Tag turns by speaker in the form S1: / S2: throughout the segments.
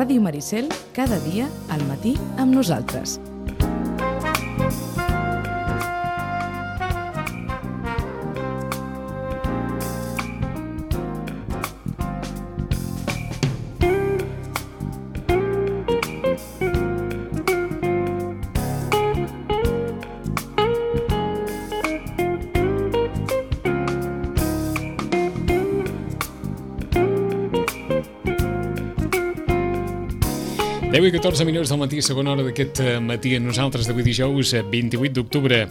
S1: Ràdio Maricel, cada dia al matí amb nosaltres.
S2: I 14 minuts del matí, segona hora d'aquest matí amb nosaltres d'avui dijous 28 d'octubre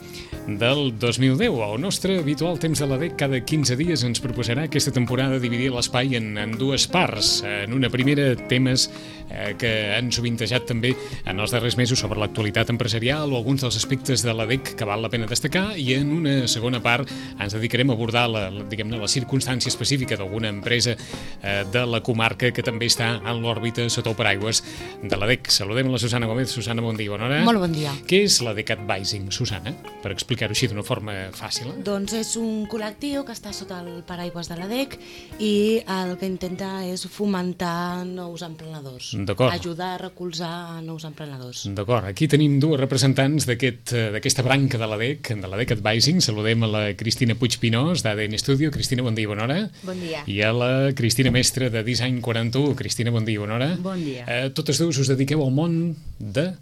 S2: del 2010. El nostre habitual temps de l'ADEC cada 15 dies ens proposarà aquesta temporada dividir l'espai en dues parts. En una primera, temes que han sovintejat també en els darrers mesos sobre l'actualitat empresarial o alguns dels aspectes de l'ADEC que val la pena destacar, i en una segona part ens dedicarem a abordar la circumstància específica d'alguna empresa de la comarca que també està en l'òrbita sota el paraigües de l'ADEC. Saludem a la Susana Gómez. Susana, bon dia, bona hora.
S3: Molt bon dia.
S2: Què és l'ADEC Advising, Susana? Per explicar-ho així d'una forma fàcil.
S3: Doncs és un col·lectiu que està sota el paraigües de l'ADEC i el que intenta és fomentar nous emprenedors.
S2: D'acord.
S3: Ajudar a recolzar nous emprenedors.
S2: D'acord. Aquí tenim dues representants d'aquesta branca de l'ADEC Advising. Saludem a la Cristina Puigpinós, d'ADN Studio. Cristina, bon dia, bona hora.
S4: Bon dia.
S2: I a la Cristina Mestre, de Design 41. Cristina, bon dia, bona hora.
S4: Bon dia.
S2: Totes dues us dediqueu al món de...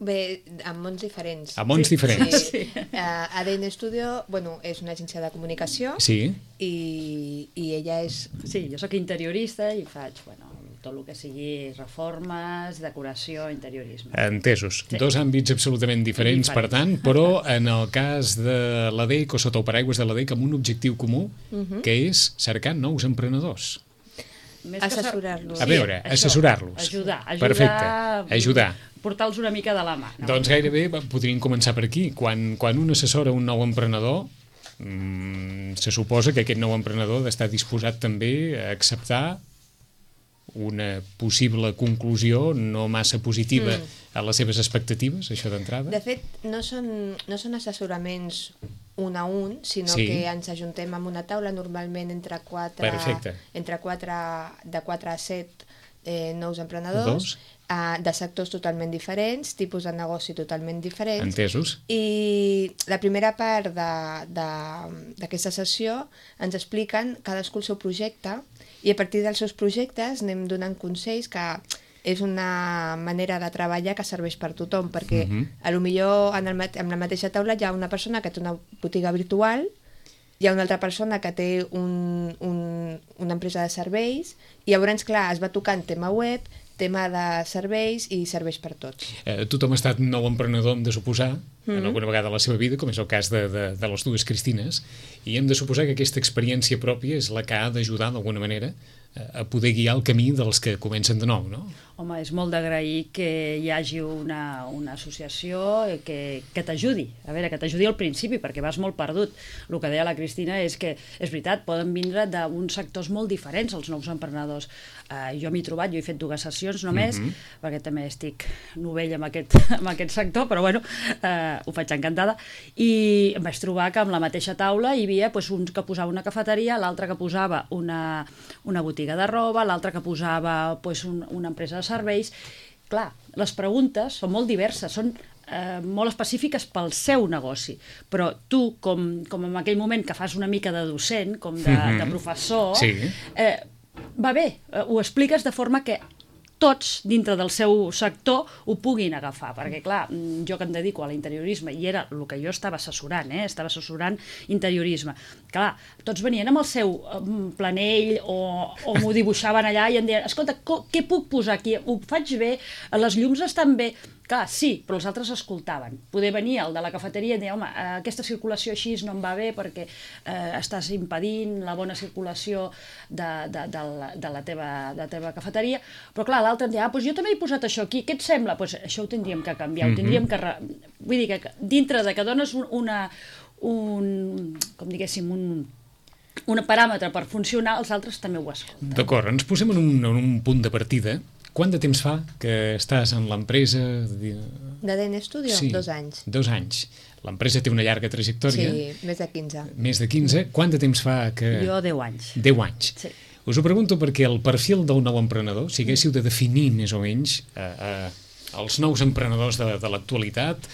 S4: Bé, a mons diferents.
S2: A mons diferents.
S4: Sí. ADN Studio, és una agència de comunicació.
S2: Sí.
S4: I ella és...
S5: Sí, jo sóc interiorista i faig, tot el que sigui reformes, decoració, interiorisme.
S2: Entesos.
S5: Sí.
S2: Dos àmbits absolutament diferents, per tant, però en el cas de l'ADEC o sota el paraigües de l'ADEC amb un objectiu comú, que és cercar nous emprenedors.
S4: Assessorar-los.
S2: A veure, assessorar-los.
S5: Ajudar.
S2: Perfecte, ajudar.
S5: Portar-los una mica de la mà. No?
S2: Doncs gairebé podríem començar per aquí. Quan un assessora un nou emprenedor, se suposa que aquest nou emprenedor ha d'estar disposat també a acceptar una possible conclusió no massa positiva a les seves expectatives, això d'entrada?
S4: De fet, no són assessoraments un a un, sinó que ens ajuntem amb una taula, normalment entre 4 a 7 nous emprenedors, de sectors totalment diferents, tipus de negoci totalment diferents.
S2: Entesos.
S4: I la primera part d'aquesta sessió ens expliquen cadascú el seu projecte i a partir dels seus projectes anem donant consells que és una manera de treballar que serveix per tothom, perquè potser en la mateixa taula hi ha una persona que té una botiga virtual, hi ha una altra persona que té una empresa de serveis, i llavors, clar, es va tocant tema web, tema de serveis i serveis per tots.
S2: Tothom ha estat nou emprenedor, hem de suposar, en alguna vegada a la seva vida, com és el cas de les dues Cristines, i hem de suposar que aquesta experiència pròpia és la que ha d'ajudar d'alguna manera a poder guiar el camí dels que comencen de nou, no?
S5: Home, és molt d'agrair que hi hagi una associació que t'ajudi, a veure, que t'ajudi al principi, perquè vas molt perdut. El que deia la Cristina és que, és veritat, poden vindre d'uns sectors molt diferents els nous emprenedors. Jo m'hi he trobat, jo he fet 2 sessions només, perquè també estic novell amb aquest sector, però ho faig encantada, i em vaig trobar que amb la mateixa taula hi havia un que posava una cafeteria, l'altre que posava una botiga de roba, l'altre que posava una empresa de serveis. Clar, les preguntes són molt diverses, són molt específiques pel seu negoci, però tu, com en aquell moment que fas una mica de docent, com de professor, va bé, ho expliques de forma que tots, dintre del seu sector, ho puguin agafar, perquè clar, jo que em dedico a l'interiorisme, i era el que jo estava assessorant, estava assessorant interiorisme, clar, tots venien amb el seu planell o m'ho dibuixaven allà i em deien, escolta, què puc posar aquí? Ho faig bé? Les llums estan bé? Clar, sí, però els altres escoltaven. Poder venir el de la cafeteria i dir, home, aquesta circulació així no em va bé perquè estàs impedint la bona circulació de la teva cafeteria, però clar, l'altre em deia, doncs jo també he posat això aquí, què et sembla? Doncs això ho tindríem que canviar, ho tindríem que... Vull dir que dintre de que dones un paràmetre per funcionar, els altres també ho escolten.
S2: D'acord, ens posem en un punt de partida. Quant de temps fa que estàs en l'empresa?
S4: D'ADN Studio?
S2: Sí,
S4: 2 anys.
S2: 2 anys. L'empresa té una llarga trajectòria.
S4: Sí, més de 15.
S2: Més de 15. Quant de temps fa que...
S5: Jo 10 anys.
S2: 10 anys.
S5: Sí.
S2: Us ho pregunto perquè el perfil del nou emprenedor, si haguéssiu de definir més o menys els nous emprenedors de l'actualitat,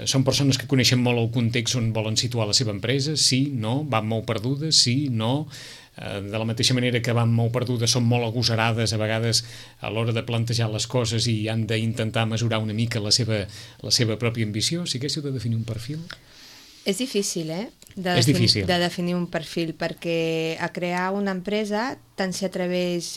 S2: són persones que coneixen molt el context on volen situar la seva empresa, sí, no, van molt perdudes, sí, no, de la mateixa manera que van molt perdudes, són molt agosarades a vegades a l'hora de plantejar les coses i han d'intentar mesurar una mica la seva pròpia ambició. Si haguéssiu de definir un perfil...
S4: És difícil,
S2: És difícil.
S4: de definir un perfil, perquè a crear una empresa tant s'hi atreveix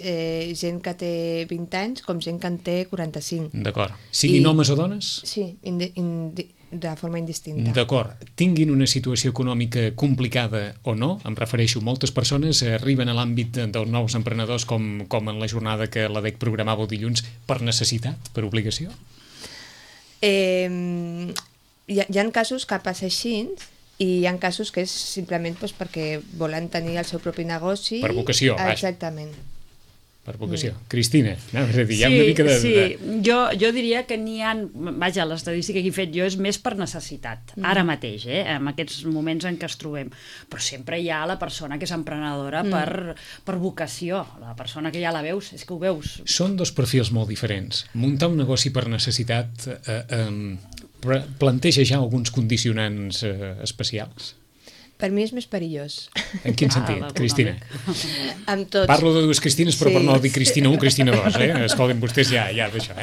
S4: gent que té 20 anys com gent que en té 45.
S2: D'acord. Siguin homes o dones?
S4: Sí, de forma indistinta.
S2: D'acord. Tinguin una situació econòmica complicada o no, em refereixo, moltes persones arriben a l'àmbit dels nous emprenedors com en la jornada que l'ADEC programava el dilluns per necessitat, per obligació?
S4: Hi ha casos que passa així i hi ha casos que és simplement perquè volen tenir el seu propi negoci.
S2: Per vocació, vaja.
S4: Exactament.
S2: Per vocació. Cristina, anaves a dir, hi ha una mica de...
S5: Sí, jo diria que n'hi ha... Vaja, l'estadística que he fet jo és més per necessitat, ara mateix, en aquests moments en què es trobem. Però sempre hi ha la persona que és emprenedora per vocació, la persona que ja la veus, és que ho veus.
S2: Són dos perfils molt diferents. Muntar un negoci per necessitat planteja ja alguns condicionants especials?
S4: Per mi és més perillós.
S2: En quin sentit, Cristina?
S4: Amb tots.
S2: Parlo de dues Cristines, però per no dir Cristina 1, Cristina 2, Escolten vostès ja d'això,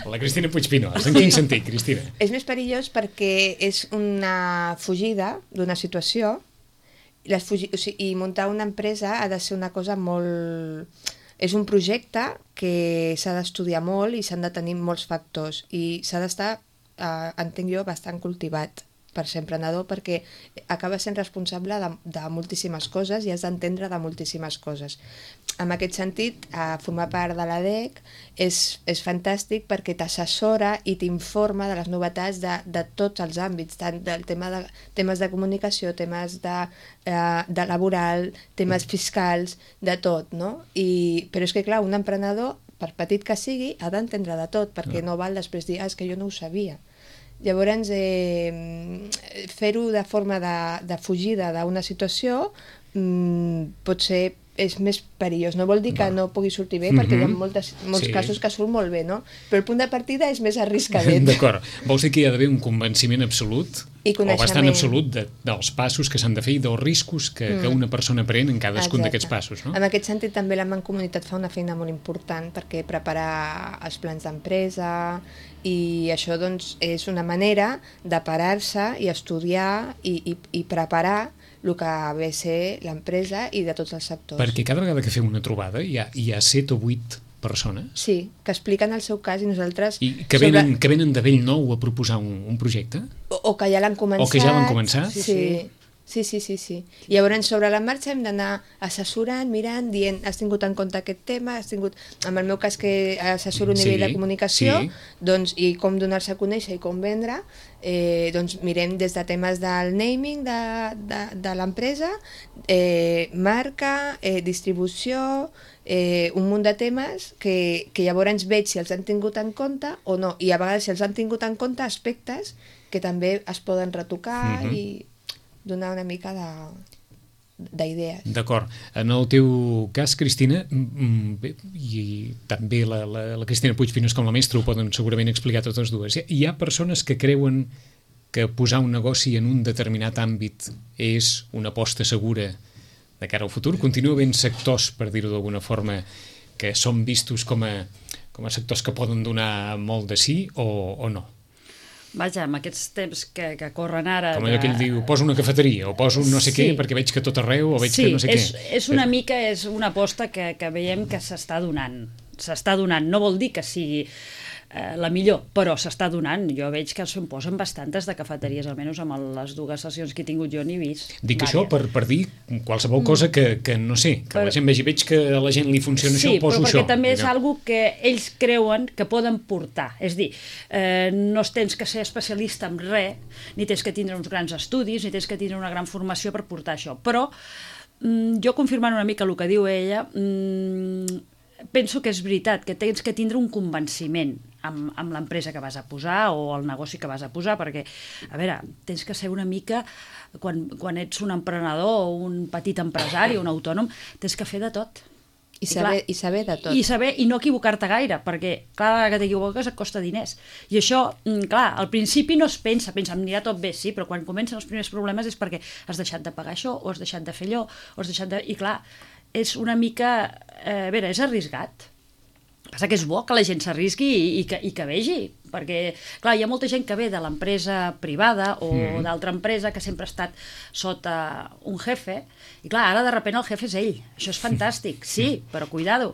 S2: La Cristina Puigpinós. En quin sentit, Cristina?
S4: És més perillós perquè és una fugida d'una situació i muntar una empresa ha de ser una cosa molt... És un projecte que s'ha d'estudiar molt i s'han de tenir molts factors i s'ha d'estar, entenc jo, bastant cultivat per ser emprenedor, perquè acaba sent responsable de moltíssimes coses i has d'entendre de moltíssimes coses. En aquest sentit, formar part de l'ADEC és fantàstic perquè t'assessora i t'informa de les novetats de tots els àmbits, tant del temes de comunicació, temes de laboral, temes fiscals, de tot, no? Però és que, clar, un emprenedor, per petit que sigui, ha d'entendre de tot, perquè no val després dir, és que jo no ho sabia. Llavors, fer-ho de forma de fugida d'una situació potser és més perillós. No vol dir que no pugui sortir bé, perquè hi ha molts casos que surt molt bé, no? Però el punt de partida és més arriscadet.
S2: D'acord. Vols dir que hi ha d'haver un convenciment absolut o bastant absolut dels passos que s'han de fer i dels riscos que una persona pren en cadascun d'aquests passos, no?
S4: En aquest sentit, també la Mancomunitat fa una feina molt important perquè preparar els plans d'empresa i això doncs, és una manera de parar-se i estudiar i preparar el que ve a ser l'empresa i de tots els sectors.
S2: Perquè cada vegada que feu una trobada hi ha 7 o 8 persones?
S4: Sí, que expliquen el seu cas i nosaltres...
S2: I que venen de bell nou a proposar un projecte?
S4: O que ja l'han començat.
S2: O que ja l'han començat?
S4: Sí. I llavors sobre la marxa hem d'anar assessorant, mirant, dient, has tingut en compte aquest tema, en el meu cas que assessoro a nivell de comunicació, doncs, i com donar-se a conèixer i com vendre, doncs mirem des de temes del naming de l'empresa, marca, distribució, un munt de temes que llavors veig si els han tingut en compte o no, i a vegades si els han tingut en compte aspectes que també es poden retocar i donar una mica d'idees.
S2: D'acord. En el teu cas, Cristina, i també la Cristina Puigpinós com la mestra ho poden segurament explicar totes dues, hi ha persones que creuen que posar un negoci en un determinat àmbit és una aposta segura de cara al futur? Continua havent sectors, per dir-ho d'alguna forma, que són vistos com a sectors que poden donar molt de sí o no?
S5: Vaja, amb aquests temps que corren ara...
S2: Com allò que ell diu, poso una cafeteria o poso un no sé què perquè veig que tot arreu o veig que no sé què.
S5: Sí, és una mica, és una aposta que veiem que s'està donant. S'està donant, no vol dir que sigui la millor, però s'està donant. Jo veig que se'n posen bastantes de cafeteries, almenys amb les dues sessions que he tingut jo n'he vist.
S2: Dic això per dir qualsevol cosa que no sé, que la gent veig que a la gent li funciona això, poso això.
S5: Sí, però perquè també és algo que ells creuen que poden portar. És dir, no tens que ser especialista en res, ni tens que tindre uns grans estudis, ni tens que tindre una gran formació per portar això. Però jo confirmant una mica el que diu ella, penso que és veritat, que tens que tindre un convenciment amb l'empresa que vas a posar o el negoci que vas a posar, perquè, a veure, tens que ser una mica, quan ets un emprenedor o un petit empresari, un autònom, tens que fer de tot.
S4: I saber de tot.
S5: I no equivocar-te gaire, perquè, clar, la que t'equivoques et costa diners. I això, clar, al principi no es pensa, em anirà tot bé, sí, però quan comencen els primers problemes és perquè has deixat de pagar això, o has deixat de fer allò, o has deixat de... I clar, és una mica... a veure, és arriscat. Passa que és bo que la gent s'arrisqui i que vegi, perquè, clar, hi ha molta gent que ve de l'empresa privada o d'altra empresa que sempre ha estat sota un jefe, i clar, ara de sobte el jefe és ell. Això és fantàstic, sí, però cuidado.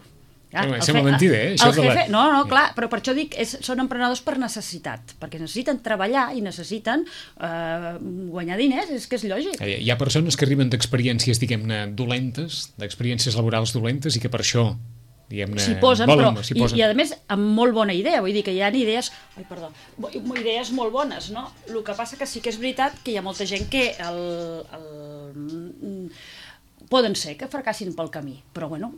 S2: Sembla mentida, això
S5: el jefe, no, clar, però per això dic, són emprenedors per necessitat, perquè necessiten treballar i necessiten guanyar diners, és que és lògic.
S2: Hi ha persones que arriben d'experiències, diguem-ne, dolentes, d'experiències laborals dolentes, i que per això
S5: s'hi posen, i a més amb molt bona idea, vull dir que hi ha idees idees molt bones, no? El que passa que sí que és veritat que hi ha molta gent que poden ser que fracassin pel camí, però bueno,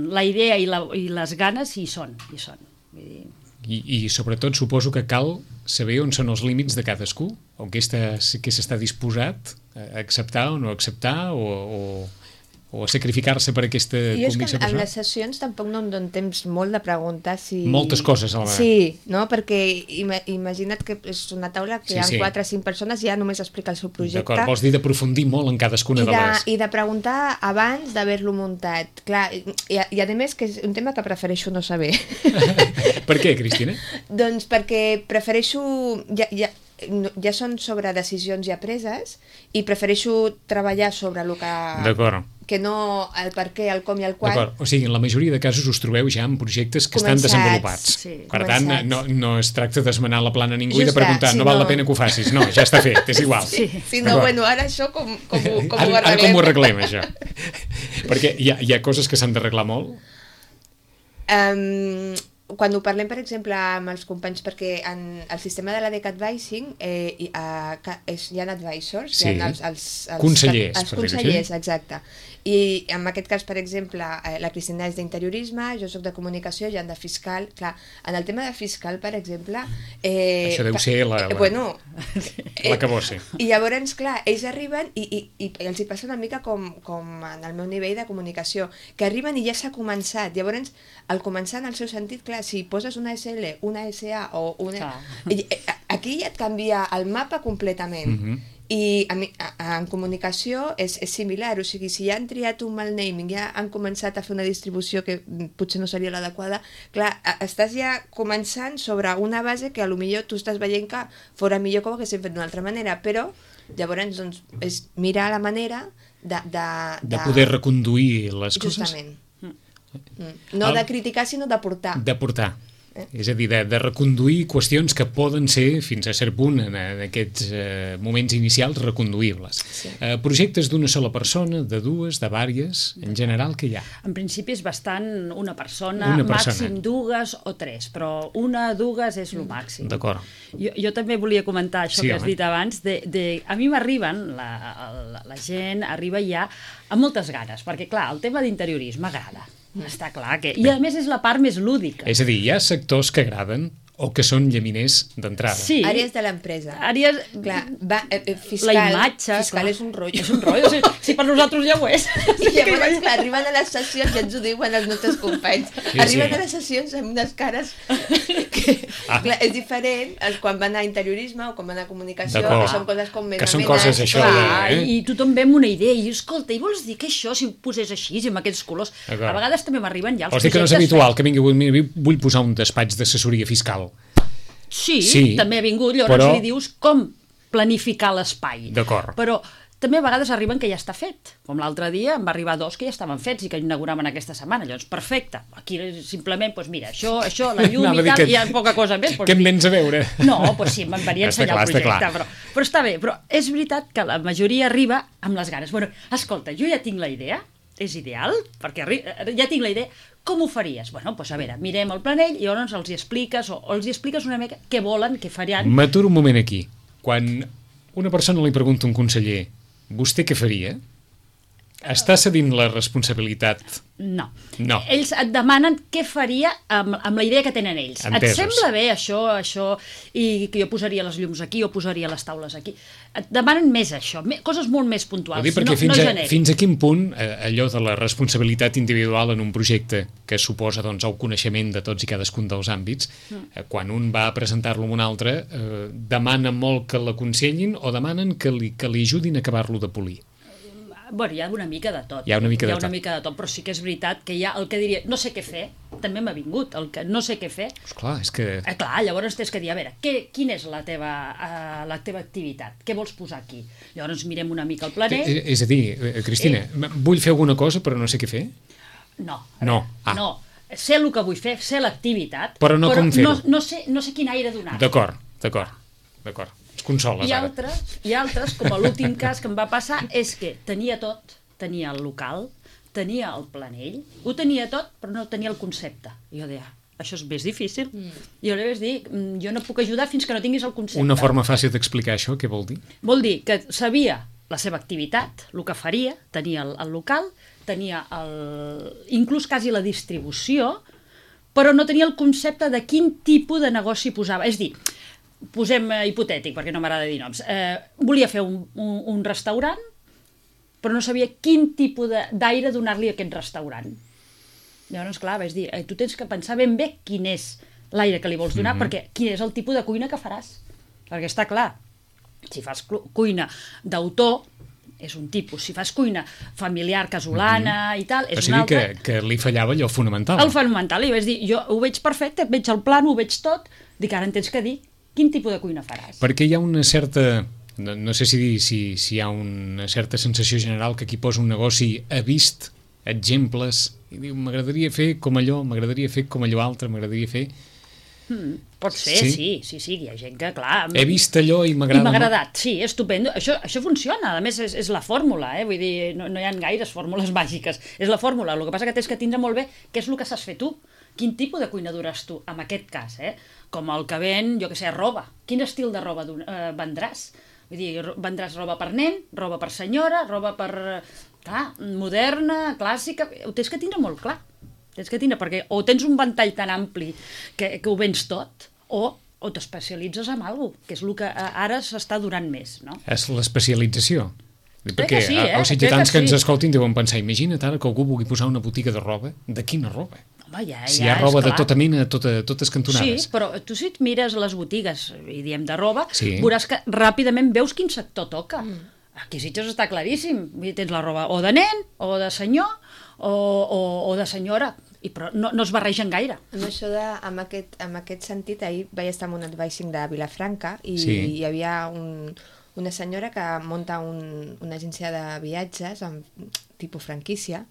S5: la idea i les ganes hi són. Vull dir...
S2: I sobretot suposo que cal saber on són els límits de cadascú, o què s'està disposat a acceptar o no acceptar, o a sacrificar-se per aquesta convicció personal.
S4: En les sessions tampoc no em dono temps molt de preguntar si...
S2: Moltes coses a la vegada.
S4: Sí, no? Perquè imagina't que és una taula que hi ha 4 o 5 persones i ja només explica el seu projecte.
S2: D'acord, vols dir d'aprofundir molt en cadascuna de les...
S4: I de preguntar abans d'haver-lo muntat. Clar, i a més que és un tema que prefereixo no saber.
S2: Per què, Cristina?
S4: Doncs perquè prefereixo... Ja són sobre decisions ja preses i prefereixo treballar sobre el que...
S2: D'acord.
S4: Que no el per què, el com i el quan.
S2: D'acord, o sigui, en la majoria de casos us trobeu ja en projectes que estan desenvolupats.
S4: Sí,
S2: per tant, no es tracta d'esmenar la plana a ningú i de preguntar, no val la pena que ho facis. No, ja està fet, és igual.
S4: Sí, no, bueno, ara això com ho arreglem?
S2: Ara com ho arreglem, això? Perquè hi ha coses que s'han d'arreglar molt?
S4: Quan ho parlem, per exemple, amb els companys, perquè en el sistema de la DEC Advising hi ha advisors,
S2: sí.
S4: Hi ha els
S2: consellers,
S4: els consellers, exacte. I en aquest cas, per exemple, la Cristina és d'interiorisme, jo soc de comunicació, hi ha de fiscal. Clar, en el tema de fiscal, per exemple...
S2: Això deu ser la que vol ser.
S4: I llavors, clar, ells arriben i els hi passa una mica com en el meu nivell de comunicació, que arriben i ja s'ha començat. Llavors, al començar en el seu sentit, clar, si poses una SL, una SA o una... Aquí ja et canvia el mapa completament. I en comunicació és similar, o sigui, si ja han triat un mal naming, ja han començat a fer una distribució que potser no seria l'adequada, clar, estàs ja començant sobre una base que potser tu estàs veient que fora millor que ho haguéssim fet d'una altra manera, però llavors doncs, és mirar la manera
S2: de poder reconduir les coses.
S4: Justament. No de criticar, sinó de portar.
S2: De portar. És a dir, de reconduir qüestions que poden ser, fins a cert punt, en aquests moments inicials, reconduïbles. Sí. Projectes d'una sola persona, de dues, de vàries, en general, què hi ha?
S5: En principi és bastant una persona, màxim dues o tres, però una, dues és el màxim.
S2: D'acord.
S5: Jo també volia comentar això que has dit abans, a mi m'arriben, la gent arriba ja amb moltes ganes, perquè clar, el tema d'interiorisme agrada. Està clar que... I a més és la part més lúdica.
S2: És a dir, hi ha sectors que agraden o que són llaminers d'entrada.
S5: Sí.
S4: Àrees de l'empresa.
S5: Àrees...
S4: Clar, fiscal,
S5: la imatge,
S4: fiscal és un rotllo.
S5: És un rotllo, si per nosaltres ja ho és.
S4: I llavors, clar, arriben a les sessions, ja ens ho diuen els nostres companys, arriben a les sessions amb unes cares que, clar, és diferent quan van a interiorisme o quan van a comunicació, que són coses com més
S2: que són coses això.
S5: I tothom ve amb una idea i escolta, i vols dir que això, si ho posés així, amb aquests colors, a vegades també m'arriben ja els
S2: projectes... Vols dir que no és habitual que vingui, vull posar un despatx d'assessoria fiscal.
S5: Sí, també ha vingut, llavors li dius com planificar l'espai.
S2: D'acord.
S5: Però també a vegades arriben que ja està fet. Com l'altre dia em va arribar 2 que ja estaven fets i que inauguraven aquesta setmana. Llavors, perfecte. Aquí simplement, doncs mira, això, la llum i tal, hi ha poca cosa més.
S2: Què em vens a veure?
S5: No, doncs sí, me'n venia a ensenyar el projecte. Però està bé, però és veritat que la majoria arriba amb les ganes. Bueno, escolta, jo ja tinc la idea, és ideal, perquè ja tinc la idea, com ho faries? Bueno, doncs a veure, mirem el planell i llavors els hi expliques o els hi expliques una mica què volen, què faran.
S2: M'aturo un moment aquí. Quan una persona li pregunta a un conseller, vostè què faria? Està cedint la responsabilitat.
S5: No.
S2: No.
S5: Ells et demanen què faria amb la idea que tenen ells.
S2: Entesos.
S5: Et sembla bé això, i que jo posaria les llums aquí o posaria les taules aquí. Et demanen més això, coses molt més puntuals,
S2: Perquè
S5: no genèric.
S2: fins a quin punt allò de la responsabilitat individual en un projecte que suposa doncs, el coneixement de tots i cadascun dels àmbits, quan un va a presentar-lo amb un altre, demana molt que l'aconsellin o demanen que li ajudin a acabar-lo de polir?
S5: Bueno, hi ha una mica de tot.
S2: Hi ha una mica de
S5: tot, però sí que és veritat que hi ha el que diria no sé què fer, també m'ha vingut, el que no sé què fer.
S2: Clar, és que...
S5: Clar, llavors tens que dir, a veure, quina és la teva activitat? Què vols posar aquí? Llavors mirem una mica el planell.
S2: És a dir, Cristina, vull fer alguna cosa però no sé què fer?
S5: No.
S2: No.
S5: No. Sé el que vull fer, sé l'activitat,
S2: però no com fer-ho.
S5: No sé quin aire donar.
S2: D'acord. Consoles,
S5: I altres, com l'últim cas que em va passar, és que tenia tot, tenia el local, tenia el planell, ho tenia tot, però no tenia el concepte. I jo deia, això és més difícil. I jo li vaig dir, jo no puc ajudar fins que no tinguis el concepte.
S2: Una forma fàcil d'explicar això, què vol dir?
S5: Vol dir que sabia la seva activitat, el que faria, tenia el local, tenia inclús quasi la distribució, però no tenia el concepte de quin tipus de negoci posava. És dir, posem hipotètic, perquè no m'agrada dir noms, volia fer un restaurant, però no sabia quin tipus d'aire donar-li a aquest restaurant. Llavors, clar, vaig dir, tu tens que pensar ben bé quin és l'aire que li vols donar, perquè quin és el tipus de cuina que faràs. Perquè està clar, si fas cuina d'autor, és un tipus. Si fas cuina familiar, casolana i tal, és un altre.
S2: O sigui que li fallava allò fonamental.
S5: El fonamental, i vaig dir, jo ho veig perfecte, veig el plan, ho veig tot, dic, ara en tens que dir quin tipus de cuina faràs.
S2: Perquè hi ha una certa, no sé si dir, si hi ha una certa sensació general que qui posa un negoci ha vist exemples i diu, m'agradaria fer com allò, m'agradaria fer com allò altre, m'agradaria fer...
S5: Pot ser, sí, hi ha gent que, clar...
S2: He vist allò i m'agrada...
S5: I m'ha agradat, sí, estupendo. Això funciona, a més és la fórmula, vull dir, no hi ha gaires fórmules màgiques, és la fórmula, el que passa que tens que tindre molt bé què és el que saps fer tu, quin tipus de cuina duràs tu, en aquest cas, com el que ven, jo què sé, roba, quin estil de roba vendràs? Vull dir, vendràs roba per nen, roba per senyora, roba per, clar, moderna, clàssica, ho tens que tindre molt clar. Tens que tindre, perquè o tens un ventall tan ampli que ho vens tot, o t'especialitzes en alguna cosa, que és el que ara s'està donant més, no?
S2: És l'especialització. Perquè
S5: sí,
S2: els ciutadans que ens escoltin deuen pensar, imagina't ara que algú vulgui posar una botiga de roba, de quina roba?
S5: Home,
S2: si hi ha roba de tota mena, totes cantonades.
S5: Sí, però tu si et mires les botigues, i diem de roba,
S2: sí,
S5: veuràs que ràpidament veus quin sector toca. Aquí a Sitges està claríssim, tens la roba o de nen, o de senyor, o de senyora, però no es barregen gaire.
S4: Amb aquest sentit, ahir vaig estar en un advising de Vilafranca i hi havia una senyora que munta una agència de viatges amb tipus franquícia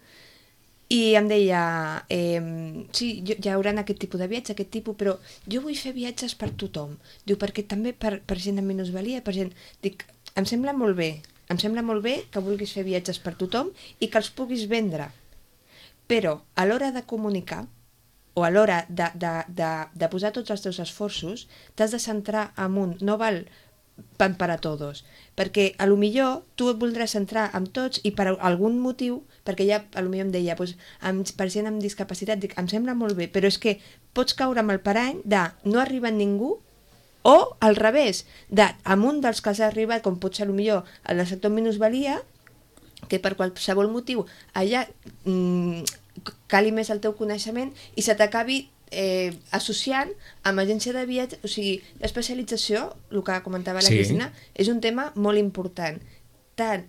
S4: i em deia, sí, hi haurà aquest tipus de viatge, aquest tipus, però jo vull fer viatges per tothom. Diu, perquè també per gent amb minusvalia, per gent... Dic, em sembla molt bé que vulguis fer viatges per tothom i que els puguis vendre, però a l'hora de comunicar o a l'hora de posar tots els teus esforços t'has de centrar en un, no val pan para todos, perquè a lo millor tu et voldràs centrar en tots i per algun motiu, perquè ja a lo millor em deia per gent amb discapacitat, dic, em sembla molt bé, però és que pots caure amb el parany de no arriba ningú o al revés, amb un dels que has arribat, com pot ser a lo millor el sector minusvalia, que per qualsevol motiu allà cali més el teu coneixement i se t'acabi associant amb agència de viatge, o sigui, l'especialització, el que comentava la Cristina, és un tema molt important, tant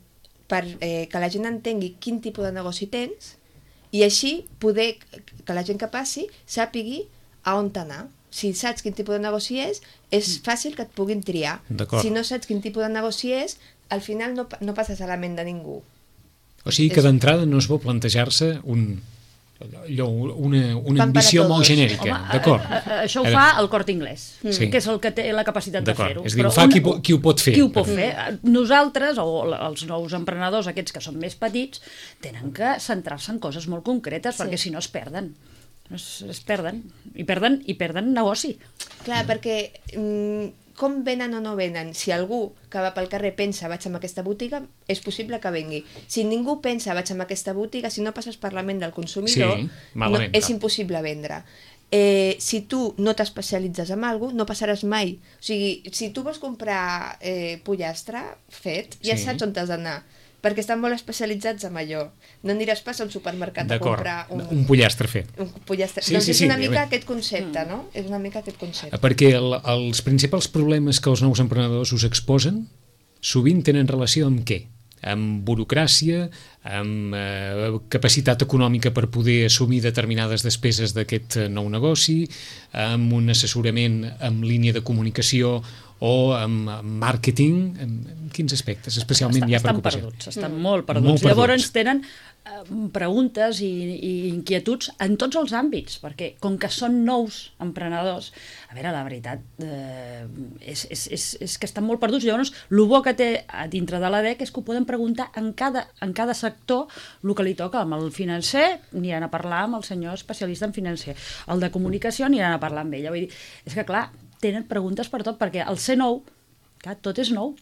S4: per que la gent entengui quin tipus de negoci tens i així poder que la gent que passi sàpigui a on anar. Si saps quin tipus de negoci és fàcil que et puguin triar. Si no saps quin tipus de negoci és, al final no passes a la ment de ningú.
S2: O sigui que d'entrada no es vol plantejar-se una ambició molt genèrica, d'acord?
S5: Això ho fa el Corte Inglés, que és el que té la capacitat de fer-ho.
S2: És a dir, ho fa qui ho pot fer.
S5: Qui ho pot fer. Nosaltres, o els nous emprenedors, aquests que són més petits, tenen que centrar-se en coses molt concretes, perquè si no es perden. Es perden, i perden negoci.
S4: Clar, perquè com venen o no venen? Si algú que va pel carrer pensa vaig a aquesta botiga, és possible que vengui. Si ningú pensa vaig a aquesta botiga, si no passes per la ment del consumidor,
S2: malament,
S4: és impossible vendre. Si tu no t'especialitzes en alguna cosa, no passaràs mai. O sigui, si tu vols comprar pollastre fet, ja saps on t'has d'anar, perquè estan molt especialitzats en allò. No aniràs pas a un supermercat a comprar
S2: un pollastre fet.
S4: Un pollastre. Doncs és una mica aquest concepte, no? És una mica aquest concepte.
S2: Perquè els principals problemes que els nous emprenedors us exposen sovint tenen relació amb què? Amb burocràcia, amb capacitat econòmica per poder assumir determinades despeses d'aquest nou negoci, amb un assessorament en línia de comunicació o amb màrqueting, en quins aspectes especialment hi ha preocupació?
S5: Estan molt perduts. Llavors tenen preguntes i inquietuds en tots els àmbits, perquè com que són nous emprenedors, a veure, la veritat és que estan molt perduts. Llavors, el bo que té dintre de l'ADEC és que ho poden preguntar en cada sector el que li toca. Amb el financer aniran a parlar amb el senyor especialista en financer, el de comunicació aniran a parlar amb ella. Vull dir, és que clar, tenen preguntes per tot, perquè el ser nou, clar, tot és nou.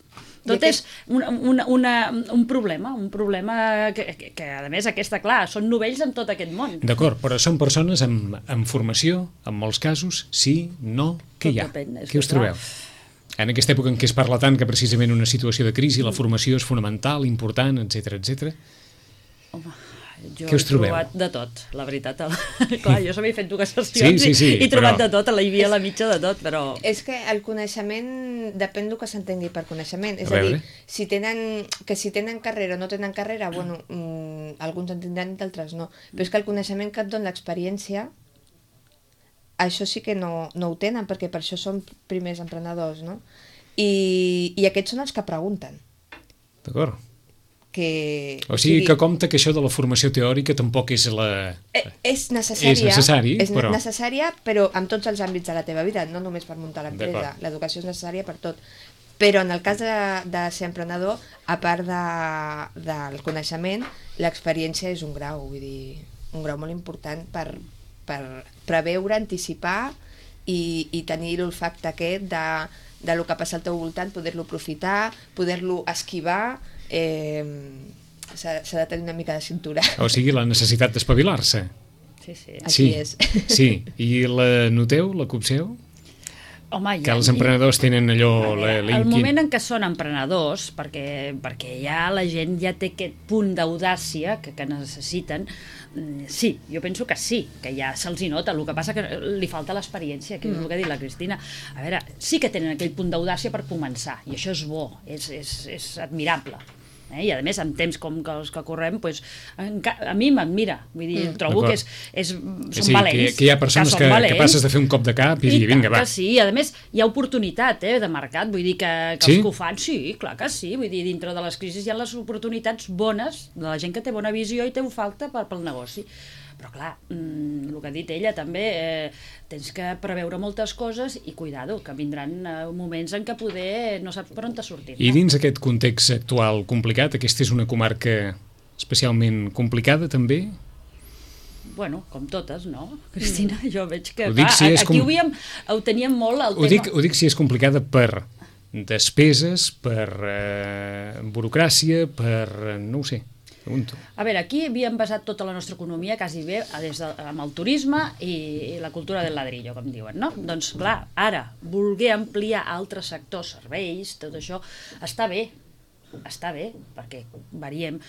S5: Tot és un problema que, a més, clar, són novells en tot aquest món.
S2: D'acord, però són persones amb formació, en molts casos, sí, no, què hi ha? Què us trobeu? En aquesta època en què es parla tant que precisament una situació de crisi, la formació és fonamental, important, etc.
S5: Home, jo
S2: he
S5: trobat de tot, la veritat. Clar, jo s'havia fet 2 sessions i he trobat de tot, a la Ivia, a la mitja de tot, però...
S4: És que el coneixement depèn del que s'entengui per coneixement. És a dir, si tenen carrera o no tenen carrera, bueno, alguns en tindran i d'altres no. Però és que el coneixement que et dona l'experiència, això sí que no ho tenen, perquè per això són primers emprenedors, no? I aquests són els que pregunten.
S2: D'acord.
S4: O
S2: sigui que compta que això de la formació teòrica tampoc és la...
S4: És necessària,
S2: però...
S4: necessària, però en tots els àmbits de la teva vida, no només per muntar l'empresa. L'educació és necessària per tot. Però en el cas de ser emprenedor, a part del coneixement, l'experiència és un grau, vull dir, un grau molt important per preveure, anticipar i tenir l'olfacte aquest de lo que passa al teu voltant, poder-lo aprofitar, poder-lo esquivar. S'ha de tenir una mica de cintura.
S2: O sigui, la necessitat d'espavilar-se.
S5: Sí.
S4: Aquí és.
S2: Sí, i la noteu, la copseu?
S5: Home,
S2: que els emprenedors tenen allò...
S5: El moment en què són emprenedors, perquè ja la gent ja té aquest punt d'audàcia que necessiten, sí, jo penso que sí, que ja se'ls hi nota. El que passa que li falta l'experiència, que és el que ha dit la Cristina. A veure, sí que tenen aquell punt d'audàcia per començar, i això és bo, és admirable. I a més, en temps com els que correm, a mi m'admira, vull dir, trobo que són valents.
S2: Que hi ha persones que passes de fer un cop de cap i dir, vinga, va.
S5: Sí, a més, hi ha oportunitat de mercat, vull dir que els que ho fan, sí, clar que sí, vull dir, dintre de les crisis hi ha les oportunitats bones de la gent que té bona visió i té falta pel negoci. Però clar, el que ha dit ella també, tens que preveure moltes coses i cuidado, que vindran moments en què poder no saps per on t'ha sortit.
S2: I dins aquest context actual complicat, aquesta és una comarca especialment complicada també?
S5: Bueno, com totes, no, Cristina? Jo veig que
S2: aquí
S5: ho teníem molt el tema.
S2: Ho dic si és complicada per despeses, per burocràcia, per... no ho sé. Pregunto.
S5: A veure, aquí havíem basat tota la nostra economia quasi bé amb el turisme i la cultura del ladrillo, com diuen, no? Doncs clar, ara, voler ampliar altres sectors, serveis, tot això, està bé, perquè variem.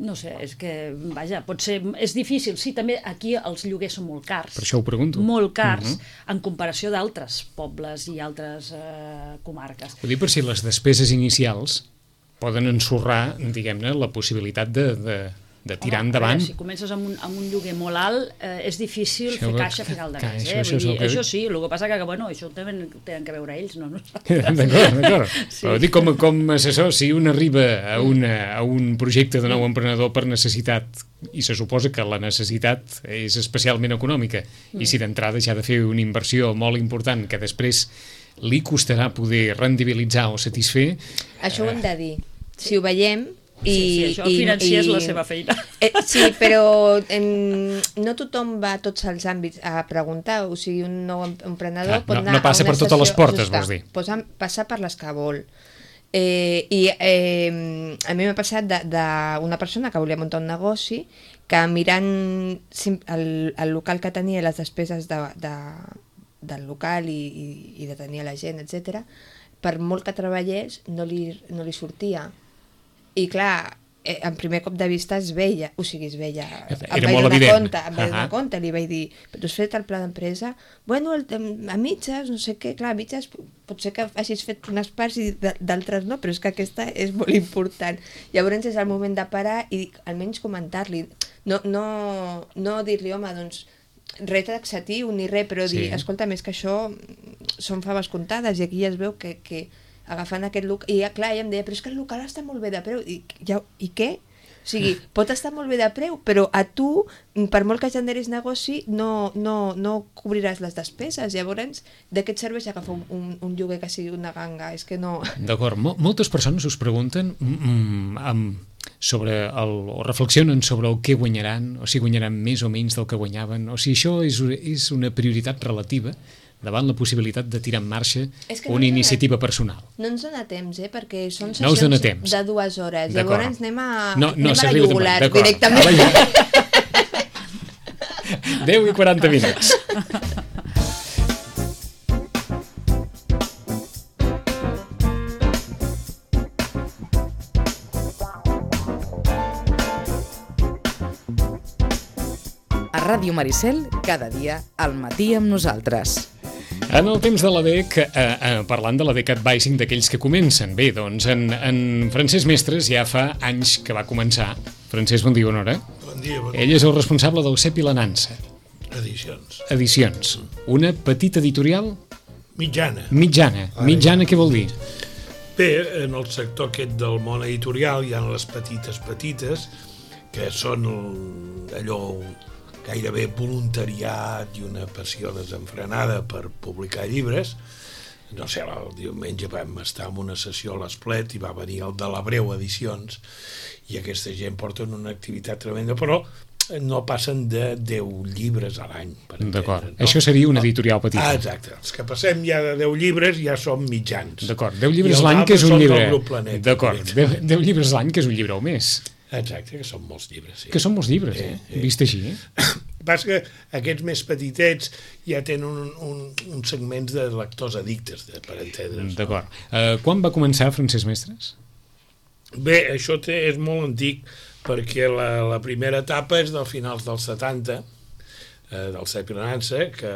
S5: No sé, és que, vaja, potser és difícil. Sí, també aquí els lloguers són molt cars.
S2: Per això ho pregunto.
S5: Molt cars, en comparació d'altres pobles i altres comarques.
S2: Ho dic per si les despeses inicials poden ensorrar, diguem-ne, la possibilitat de tirar endavant.
S5: Si comences amb un lloguer molt alt, és difícil fer caixa a final de mes. Això sí, el que passa que, bueno, això també tenen que veure ells, no?
S2: D'acord. Però dic com a assessor, si un arriba a un projecte de nou emprenedor per necessitat, i se suposa que la necessitat és especialment econòmica, i si d'entrada ja ha de fer una inversió molt important que després li costarà poder rendibilitzar o satisfer...
S4: Això ho hem de dir. Si ho veiem,
S5: Sí, això financiar és la seva feina.
S4: Sí, però no tothom va a tots els àmbits a preguntar, o sigui, un nou emprenedor pot anar
S2: no passa
S4: a una
S2: per totes les portes,
S4: justa,
S2: vols dir?
S4: Passa per les que vol. I a mi m'ha passat d'una persona que volia muntar un negoci que mirant el local que tenia, les despeses del local i de tenir la gent, etc., per molt que treballés no li sortia. I clar, en primer cop de vista es veia,
S2: era molt evident.
S4: Em vaig donar compte, li vaig dir, però has fet el pla d'empresa? Bueno, a mitges, no sé què, clar, a mitges pot ser que hagis fet unes parts i d'altres no, però és que aquesta és molt important. Llavors és el moment de parar i almenys comentar-li, no dir-li, home, doncs res taxatiu ni res, però dir, escolta, més que això són faves comptades i aquí ja es veu que agafant aquest local, i clar, ella em deia, però és que el local està molt bé de preu, i què? O sigui, pot estar molt bé de preu, però a tu, per molt que generis negoci, no cobriràs les despeses. Llavors, de què et serveix agafar un lloguer que sigui una ganga? És que no...
S2: D'acord, moltes persones us pregunten o reflexionen sobre el que guanyaran, o si guanyaran més o menys del que guanyaven, o si això és una prioritat relativa davant la possibilitat de tirar en marxa una iniciativa personal.
S4: No ens dona temps, perquè són sessions de 2 hores. Llavors anem a la jugular directament.
S2: 10 i 40 minuts.
S1: A Ràdio Maricel, cada dia al matí amb nosaltres.
S2: En el temps de l'ADEC, parlant de l'ADEC Advising, d'aquells que comencen. Bé, doncs, en Francesc Mestres ja fa anys que va començar. Francesc, bon dia, bona hora.
S6: Bon dia, bon dia.
S2: Ell és el responsable del CEP i la Nansa. Edicions. Una petita editorial?
S6: Mitjana.
S2: Mitjana, què vol dir?
S6: Bé, en el sector aquest del món editorial hi ha les petites, que són allò gairebé voluntariat i una passió desenfrenada per publicar llibres. No sé, el diumenge vam estar en una sessió a l'Esplet i va venir el de l'Abreu Edicions i aquesta gent porten una activitat tremenda, però no passen de 10 llibres a l'any.
S2: D'acord, no? Això seria una editorial petita.
S6: Exacte, els que passem ja de 10 llibres ja som mitjans.
S2: D'acord, 10 llibres l'any que és un llibre. D'acord, 10 llibres l'any que és un llibre o més.
S6: Exacte, que són molts llibres. Sí.
S2: Que són molts llibres, vist així.
S6: Pas que aquests més petitets ja tenen uns segments de lectors addictes, per entendre's.
S2: D'acord. Quan va començar Francesc Mestres?
S6: Bé, això és molt antic, perquè la primera etapa és dels finals dels 70, del CEP i la Nansa, que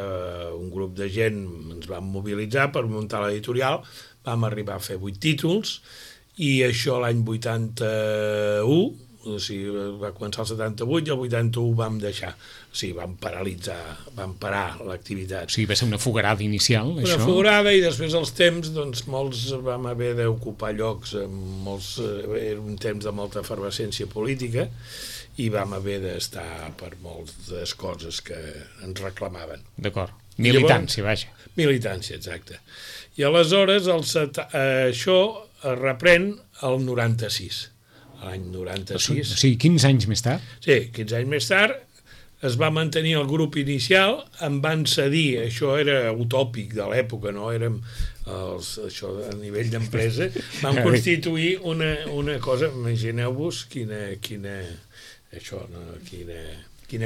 S6: un grup de gent ens vam mobilitzar per muntar l'editorial, vam arribar a fer 8 títols, i això l'any 81, o sigui, va començar el 78 i el 81 vam deixar, o sigui, vam parar l'activitat.
S2: O sigui, va ser una fogarada inicial, això?
S6: Una fogarada, i després els temps, doncs, molts vam haver d'ocupar llocs, era un temps de molta efervescència política, i vam haver d'estar per moltes coses que ens reclamaven.
S2: D'acord, militància, vaja.
S6: Militància, exacte. I aleshores això es reprèn el 96, l'any 96.
S2: O sigui, 15 anys més tard?
S6: Sí, 15 anys més tard es va mantenir el grup inicial, em van cedir, això era utòpic de l'època, no érem això a nivell d'empresa, vam constituir una cosa, imagineu-vos quina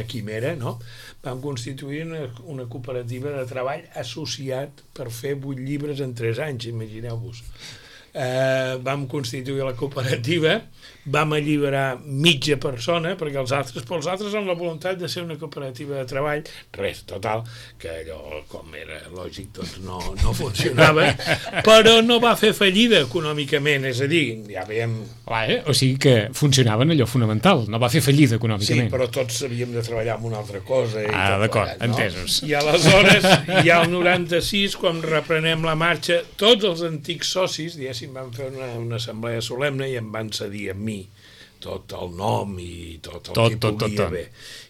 S6: quimera, no? Vam constituir una cooperativa de treball associat per fer 8 llibres en 3 anys, imagineu-vos. Vam constituir la cooperativa, vam alliberar mitja persona, perquè els altres amb la voluntat de ser una cooperativa de treball, res, total, que allò, com era lògic, doncs no funcionava, però no va fer fallida econòmicament, és a dir, ja veiem...
S2: O sigui que funcionava en allò fonamental, no va fer fallida econòmicament.
S6: Sí, però tots havíem de treballar en una altra cosa.
S2: D'acord, entesos.
S6: I aleshores, ja al 96, quan reprenem la marxa, tots els antics socis, diguéssim, van fer una assemblea solemne i em van cedir a mi tot el nom i tot el que podia haver.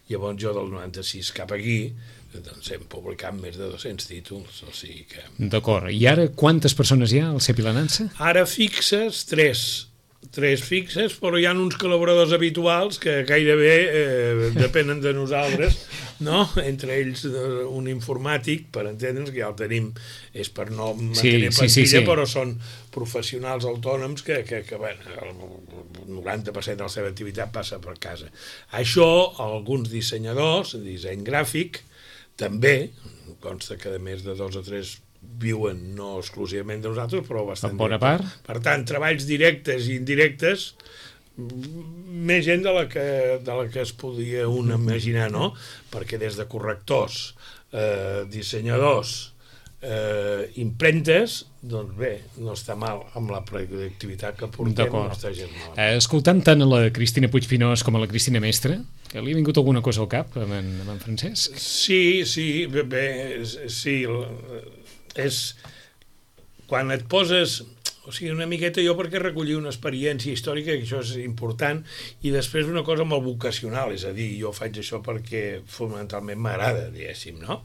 S6: Llavors jo del 96 cap aquí doncs hem publicat més de 200 títols, o sigui que...
S2: D'acord, i ara quantes persones hi ha al CEP i la Nansa?
S6: Ara fixes 3, 3 fixes, però hi ha uns col·laboradors habituals que gairebé depenen de nosaltres, no? Entre ells un informàtic, per entendre'ns, que ja el tenim, és per no mantenir plantilla, però són professionals autònoms que bueno, el 90% de la seva activitat passa per casa. Això, alguns dissenyadors, disseny gràfic, també, consta que a més de 2 o 3 viuen no exclusivament de nosaltres, però bastant
S2: en bona part.
S6: Per tant, treballs directes i indirectes, més gent de la que es podia un imaginar, no? Perquè des de correctors, dissenyadors, impremtes, doncs bé, no està mal amb la productivitat que portem, no està gens mal.
S2: Escoltant tant a la Cristina Puigpinós com a la Cristina Mestre, que li ha vingut alguna cosa al cap amb en Francesc?
S6: Sí, és quan et poses, o sigui, una miqueta jo perquè recollir una experiència històrica, que això és important, i després una cosa molt vocacional, és a dir, jo faig això perquè fonamentalment m'agrada, diguéssim, no?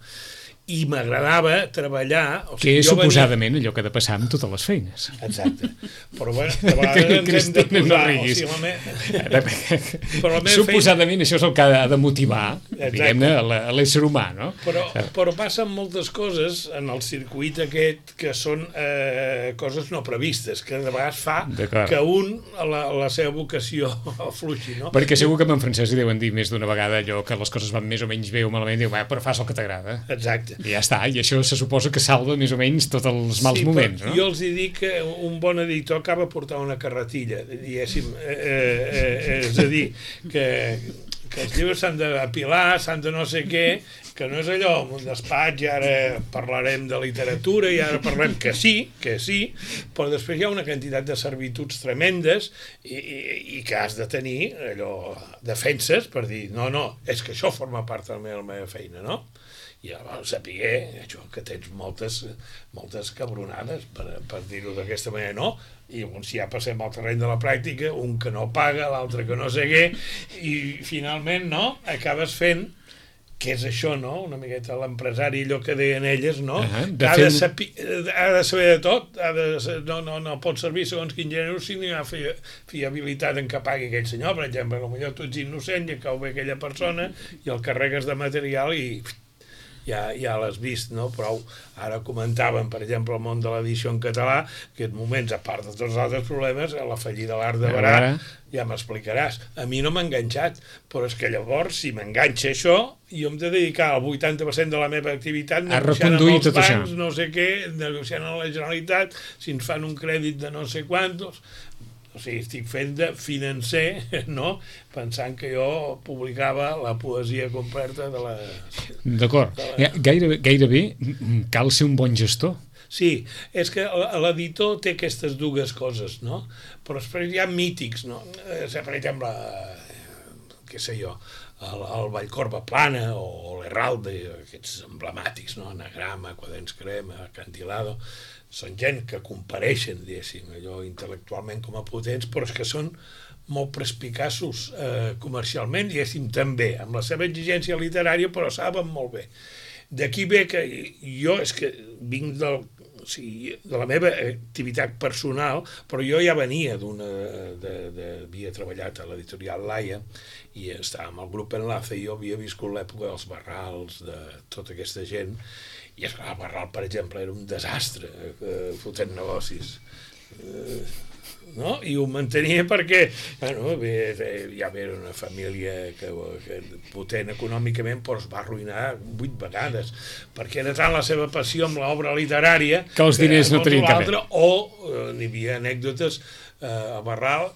S6: I m'agradava treballar...
S2: O sigui, que és suposadament allò que ha de passar amb totes les feines.
S6: Exacte. Però bueno, de vegades ens hem de posar...
S2: Suposadament això és el que ha de motivar, diguem-ne, a l'ésser humà, no?
S6: Però passen moltes coses en el circuit aquest que són coses no previstes, que de vegades fa que la seva vocació afluixi, no?
S2: Perquè segur que amb en Francesc hi deuen dir més d'una vegada allò que les coses van més o menys bé o malament, diu, però fas el que t'agrada.
S6: Exacte.
S2: I ja està, i això se suposa que salva més o menys tots els mals moments, no?
S6: Jo els dic que un bon editor acaba portant una carretilla, diguéssim, és a dir, que els llibres s'han d'apilar, s'han de no sé què, que no és allò, un despatx, i ara parlarem de literatura, i ara parlem que sí, però després hi ha una quantitat de servituds tremendes i que has de tenir allò, defenses per dir, no, és que això forma part de la meva feina, no? I llavors sapiguer que tens moltes cabronades, per dir-ho d'aquesta manera, no? I llavors ja passem al terreny de la pràctica, un que no paga, l'altre que no sé què, i finalment, no?, acabes fent, que és això, no?, una miqueta l'empresari, allò que deien elles, no?, que ha de saber de tot, no pot servir segons quin gènere si no hi ha fiabilitat en què pagui aquell senyor. Per exemple, potser tu ets innocent i cau bé aquella persona i el carregues de material i ja l'has vist, no? Però ara comentàvem, per exemple, el món de l'edició en català, que en moments, a part de tots els altres problemes, la fallida de l'Arc de Berà, ja m'explicaràs. A mi no m'ha enganxat, però és que llavors, si m'enganxa això, jo hem de dedicar el 80% de la meva activitat negociant amb els bancs, no sé què, negociant amb la Generalitat, si ens fan un crèdit de no sé quantos... O sigui, estic fent de financer, no?, pensant que jo publicava la poesia completa de la...
S2: D'acord. Gairebé cal ser un bon gestor.
S6: Sí, és que l'editor té aquestes dues coses, no? Però després hi ha mítics, no? Per exemple, què sé jo, el Vallcorba Plana o l'Herralde, aquests emblemàtics, no? Anagrama, Quaderns Crema, Acantilado... Són gent que compareixen, diguéssim, allò intel·lectualment com a potents, però és que són molt perspicaços comercialment, diguéssim, també, amb la seva exigència literària, però saben molt bé. D'aquí ve que jo és que vinc de la meva activitat personal, però jo ja venia havia treballat a l'editorial Laia i estava amb el grup Enlace i jo havia viscut l'època dels Barrals, de tota aquesta gent, i és que el Barral, per exemple, era un desastre fotent negocis, no? I ho mantenia perquè ja era una família que potent econòmicament, però es va arruïnar 8 vegades, perquè era tant la seva passió amb l'obra literària
S2: que els diners no tenien cap bé.
S6: O n'hi havia anècdotes, a Barral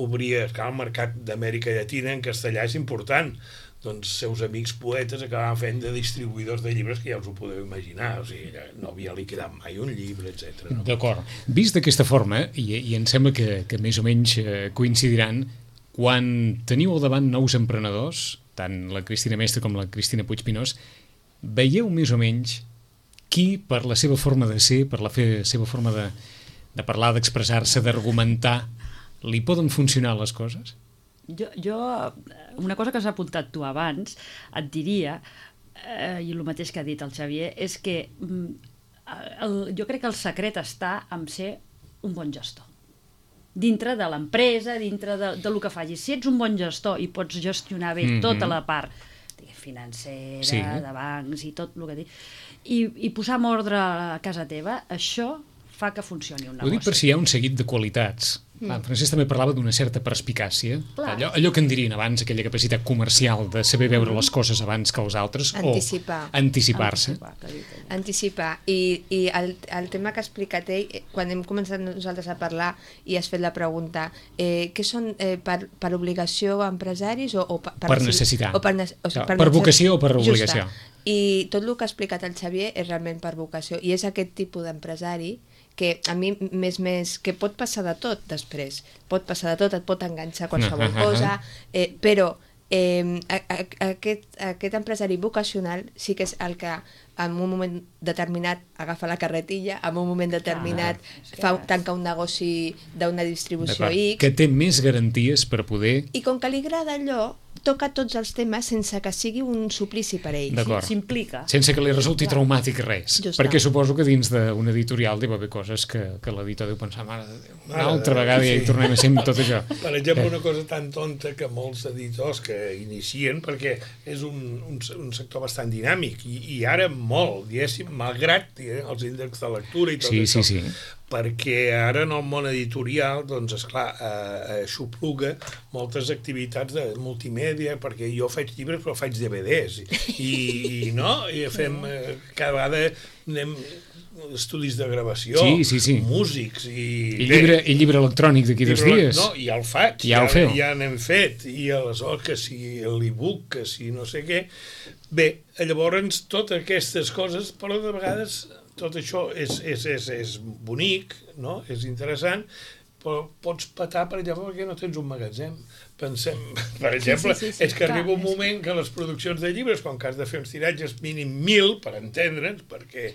S6: obria el mercat d'Amèrica Llatina en castellà, és important, doncs seus amics poetes acabaven fent de distribuïdors de llibres, que ja us ho podeu imaginar, o sigui, no havia liquidat mai un llibre, etc. No?
S2: D'acord. Vist d'aquesta forma, i em sembla que més o menys coincidiran, quan teniu al davant nous emprenedors, tant la Cristina Mestre com la Cristina Puigpinós, veieu més o menys qui, per la seva forma de ser, per la seva forma de parlar, d'expressar-se, d'argumentar, li poden funcionar les coses?
S5: Jo, una cosa que has apuntat tu abans, et diria, i el mateix que ha dit el Xavier, és que jo crec que el secret està en ser un bon gestor. dintre de l'empresa, dintre de lo que facis. Si ets un bon gestor i pots gestionar bé tota la part financera, de bancs i tot el que dic, i posar en ordre a casa teva, això fa que funcioni un negoci.
S2: Ho dic per si hi ha un seguit de qualitats. En Francesc també parlava d'una certa perspicàcia. Allò que en dirien abans, aquella capacitat comercial de saber veure les coses abans que els altres,
S4: Anticipar.
S2: o anticipar-se.
S4: Anticipar. I el tema que ha explicat ell, quan hem començat nosaltres a parlar i has fet la pregunta, què són per obligació empresaris o
S2: per necessitat.
S4: Per
S2: vocació o per obligació.
S4: I tot el que ha explicat el Xavier és realment per vocació. I és aquest tipus d'empresari que a mi més que pot passar de tot després, pot passar de tot, et pot enganxar qualsevol cosa, però aquest empresari vocacional sí que és el que en un moment determinat agafa la carretilla, en un moment determinat tanca un negoci d'una distribució X.
S2: Que té més garanties per poder...
S4: I com que li agrada allò, toca tots els temes sense que sigui un suplici per ell.
S5: S'implica.
S2: Sense que li resulti traumàtic res. Perquè suposo que dins d'un editorial deu haver coses que l'editor deu pensar, mare de Déu, una altra vegada ja hi tornem a ser amb tot això.
S6: Per exemple, una cosa tan tonta que molts editors que inicien, perquè és un sector bastant dinàmic, i ara molt, diguéssim, malgrat els índexs de lectura i tot això.
S2: Sí.
S6: Perquè ara en el món editorial, doncs, esclar, xupluga moltes activitats de multimèdia, perquè jo faig llibres però faig DVDs, i fem cada vegada anem estudis de gravació, músics,
S2: i llibre electrònic d'aquí 2 dies.
S6: No, ja el faig, ja n'hem fet, i aleshores que si l'e-book, que si no sé què. Bé, llavors totes aquestes coses, però de vegades tot això és bonic, no? És interessant, però pots patar, per exemple, perquè no tens un magatzem. Pensem, per exemple, és que arriba un moment que les produccions de llibres, quan has de fer uns tiratges mínim 1.000, per entendre'ns, perquè